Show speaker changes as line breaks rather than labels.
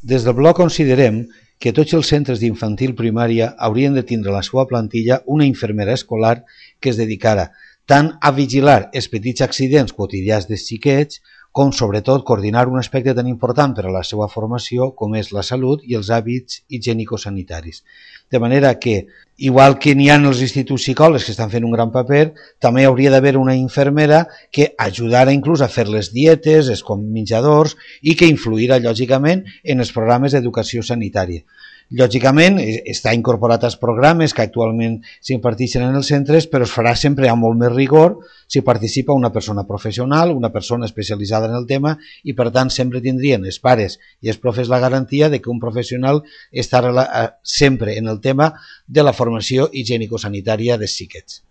Des del bloc considerem que tots els centres d'infantil primària haurien de tindre a la seva plantilla una infermera escolar que es dedicara tant a vigilar els petits accidents quotidians dels xiquets com sobretot coordinar un aspecte tan important per a la seva formació com és la salut i els hàbits higienicosanitaris. De manera que, igual que n'hi ha els instituts psicòlegs que estan fent un gran paper, també hauria d'haver una infermera que ajudara inclús a fer les dietes, els menjadors i que influirà lògicament en els programes d'educació sanitària. Lògicament, està incorporat als programes que actualment s'imparteixen en els centres, però es farà sempre amb molt més rigor si participa una persona professional, una persona especialitzada en el tema i, per tant, sempre tindrien els pares i els profes la garantia de que un professional estarà sempre en el tema de la formació higienicosanitària dels xiquets.